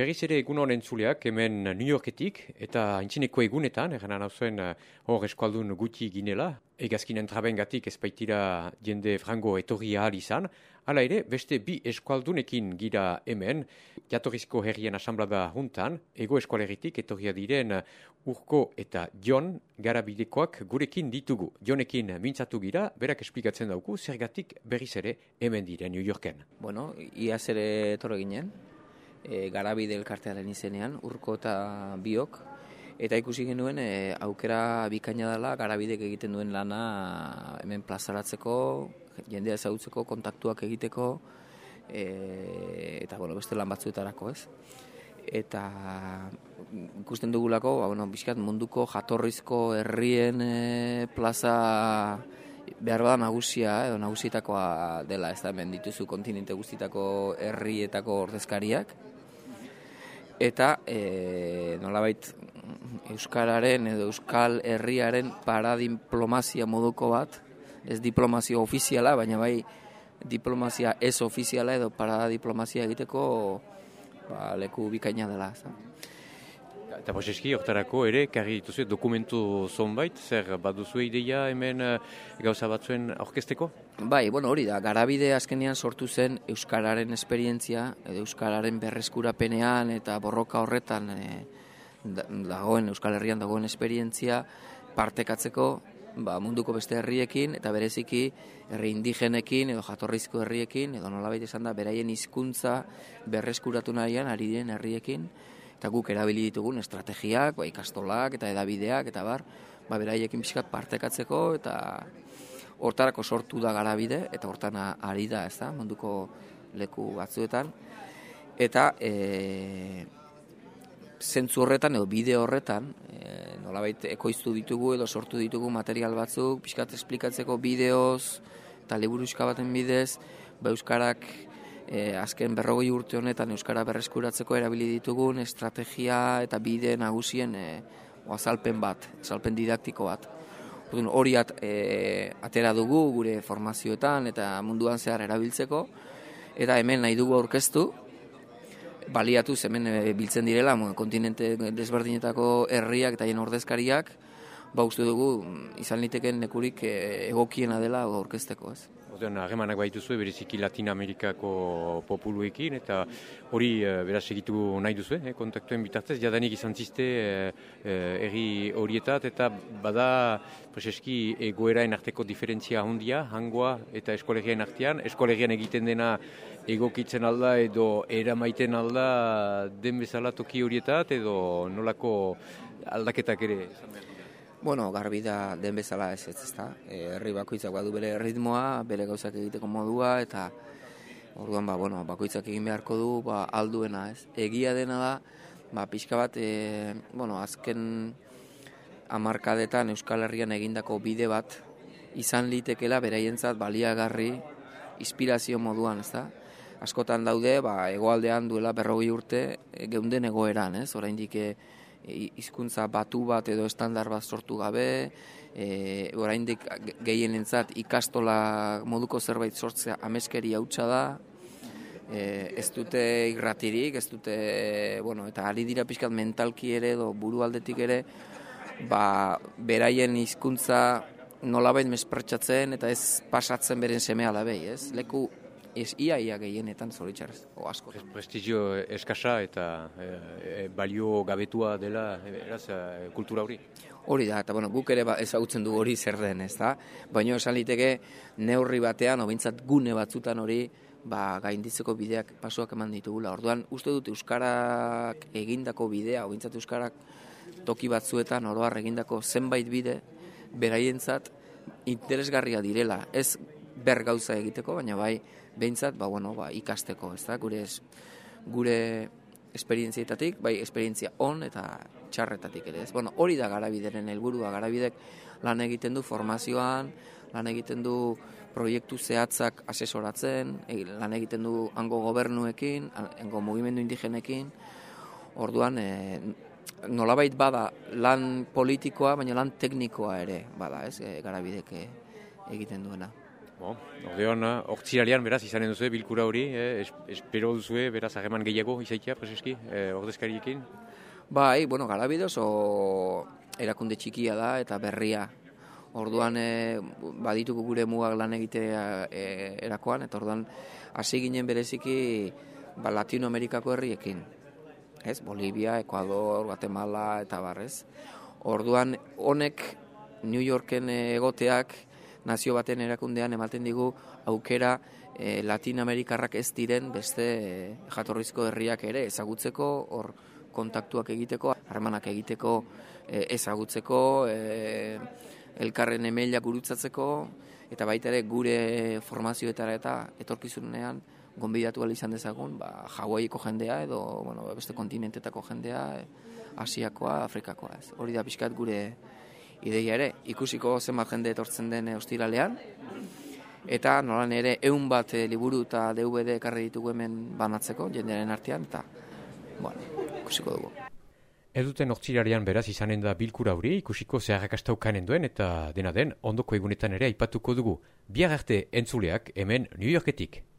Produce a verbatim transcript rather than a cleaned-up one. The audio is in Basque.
Berriz ere egun honen zuleak, hemen New Yorketik, eta haintzineko egunetan, eran hau zuen hor eskualdun guti ginela, egazkinen trabengatik ezpaitira jende frango etorri ahal izan, hala ere, beste bi eskualdunekin gira hemen, jatorrizko herrien asamblada juntan, ego eskualeritik etorria diren Urko eta Jon Garabidekoak gurekin ditugu. Jonekin mintzatu gira, berak esplikatzen dauku, zergatik berriz ere hemen diren New Yorken. Bueno, iaz ere etorri ginen, E, Garabide elkartearen izenean, Urko eta biok, eta ikusi genuen e, aukera bikaina dela Garabidek egiten duen lana hemen plazaratzeko, jendea ezagutzeko, kontaktuak egiteko, e, eta bueno, beste lan batzuetarako, ez? Eta ikusten dugulako, ba, bueno, bizkat munduko jatorrizko herrien e, plaza behar bada nagusia, edo nagusietakoa dela, ez da, hemen dituzu kontinente guztietako herrietako ordezkariak, eta e, nolabait euskararen edo euskal herriaren paradiplomazia moduko bat, ez diplomazia ofiziala, baina bai diplomazia ez ofiziala edo paradiplomazia egiteko ba, leku bikaina dela. Ez da. Eta Boseski, hortarako ere, karri dituzu dokumentu zonbait, zer baduzu ideia hemen gauza batzuen aurkezteko? Bai, bueno, hori da, Garabide azkenean sortu zen euskararen esperientzia, edo euskararen berreskurapenean eta borroka horretan e, dagoen, Euskal Herrian dagoen esperientzia partekatzeko ba, munduko beste herriekin eta bereziki herri indigenekin edo jatorrizko herriekin, edo nolabait esan da, beraien hizkuntza berreskuratu nahian ari diren herriekin, eta guk erabili ditugun estrategiak, ba, ikastolak eta edabideak eta bar, ba, beraiekin pixkat partekatzeko eta hortarako sortu da Garabide eta hortan ari da, ez da, munduko leku batzuetan. Eta e, zentzu horretan edo bide horretan, e, nolabait ekoiztu ditugu edo sortu ditugu material batzuk, pixkat esplikatzeko bideoz eta liburuxka baten bidez, ba, euskarak E, azken berrogei urte honetan euskara berreskuratzeko erabili ditugun estrategia eta bide nagusien e, azalpen bat, azalpen didaktiko bat. Hori at, e, atera dugu gure formazioetan eta munduan zehar erabiltzeko, eta hemen nahi dugu aurkeztu, baliatuz hemen e, biltzen direla, kontinente desberdinetako herriak eta hien ordezkariak, ba uste dugu izan liteken lekurik e, egokiena dela aurkezteko, ez. Harremanak baituzue bereziki Latina Amerikako populuekin eta hori e, beraz egitu nahi duzu, eh, kontaktuen bitartez, jadanik izan ziste erri e, horietat eta bada preseski egoeraen arteko diferentzia handia, hangoa eta eskolegian artean, eskolegian egiten dena egokitzen alda edo eramaiten alda den bezala toki horietat edo nolako aldaketak ere izan behar. Bueno, garbi da den bezala ez ez, ezta. E, herri bakoitzak badu bere ritmoa, bere gauzak egiteko modua eta orduan ba bueno, bakoitzak egin beharko du, ba alduena, ez. Egia dena da, ba pixka bat e, bueno, azken hamarkadetan Euskal Herrian egindako bide bat izan litekela beraientzat baliagarri inspirazio moduan, ezta. Askotan daude, ba hegoaldean duela berrogei urte e, geunden egoeran, ez. Oraindik e, hizkuntza batu bat edo estandar bat sortu gabe, e, oraindik gehienentzat ikastola moduko zerbait sortzea ameskeri hautsa da, e, ez dute irratirik, ez dute, bueno, eta ari dira pixkat mentalki ere edo burualdetik ere, ba, beraien hizkuntza nolabait mespertsatzen eta ez pasatzen beren seme alabei, ez? Leku ez ia ia gehienetan zoritxarrez, o asko. Prestigio eskasa eta e, e, balio gabetua dela eraz, e, kultura hori? Hori da, eta bueno, guk ere ba, ezagutzen du hori zer den, ez da? Baina esan liteke neurri batean, obintzat gune batzutan hori, ba, gainditzeko bideak pasuak eman ditugula. Orduan, uste dut Euskarak egindako bidea, obintzat Euskarak toki batzuetan oroar egindako zenbait bide, beraientzat interesgarria direla. Ez ber gauza egiteko, baina bai, behintzat, ba, bueno, ba, ikasteko, ez da, gure, gure esperientzietatik, bai, esperientzia on eta txarretatik ere, ez. Bueno, hori da Garabideren helburua, Garabidek lan egiten du formazioan, lan egiten du proiektu zehatzak asesoratzen, lan egiten du hango gobernuekin, hango mugimendu indigenekin, orduan, e, nolabait bada lan politikoa, baina lan teknikoa ere, bada, ez, e, Garabidek egiten duena. Bon, ordeon, hortziralean beraz izanen duzu bilkura hori, eh? es, espero duzue beraz hageman gehiago izaitia, preseski, eh, ordezkariekin? Bai, bueno, Garabide oso erakunde txikia da eta berria. Orduan e, badituko gure mugak lan egitea e, erakoan, eta orduan hasi ginen bereziki ba, Latinoamerikako herriekin. Ez? Bolivia, Ecuador, Guatemala eta barrez. Orduan honek New Yorken egoteak nazio baten erakundean ematen digu aukera e, Latinoamerikarrak ez diren beste e, jatorrizko herriak ere ezagutzeko, hor kontaktuak egiteko, harremanak egiteko, e, ezagutzeko, e, elkarren emailak gurutzatzeko, eta baita ere gure formazioetara eta etorkizunean gonbidatu ahal izan dezagun, ba, Hawaiiko jendea edo bueno, beste kontinentetako jendea, Asiakoa, Afrikakoa. Ez. Hori da pixkat gure ideia ere, ikusiko zenbat jende etortzen den ostiralean, eta nolan ere ehun bat liburu eta D V D ekarri ditugu hemen banatzeko, jendearen artean, eta bueno, ikusiko dugu. Eduten hortzilarian beraz izanen da bilkura hori, ikusiko zeharrakastau kanen duen, eta dena den ondoko egunetan ere aipatuko dugu. Bihar arte entzuleak hemen New Yorketik.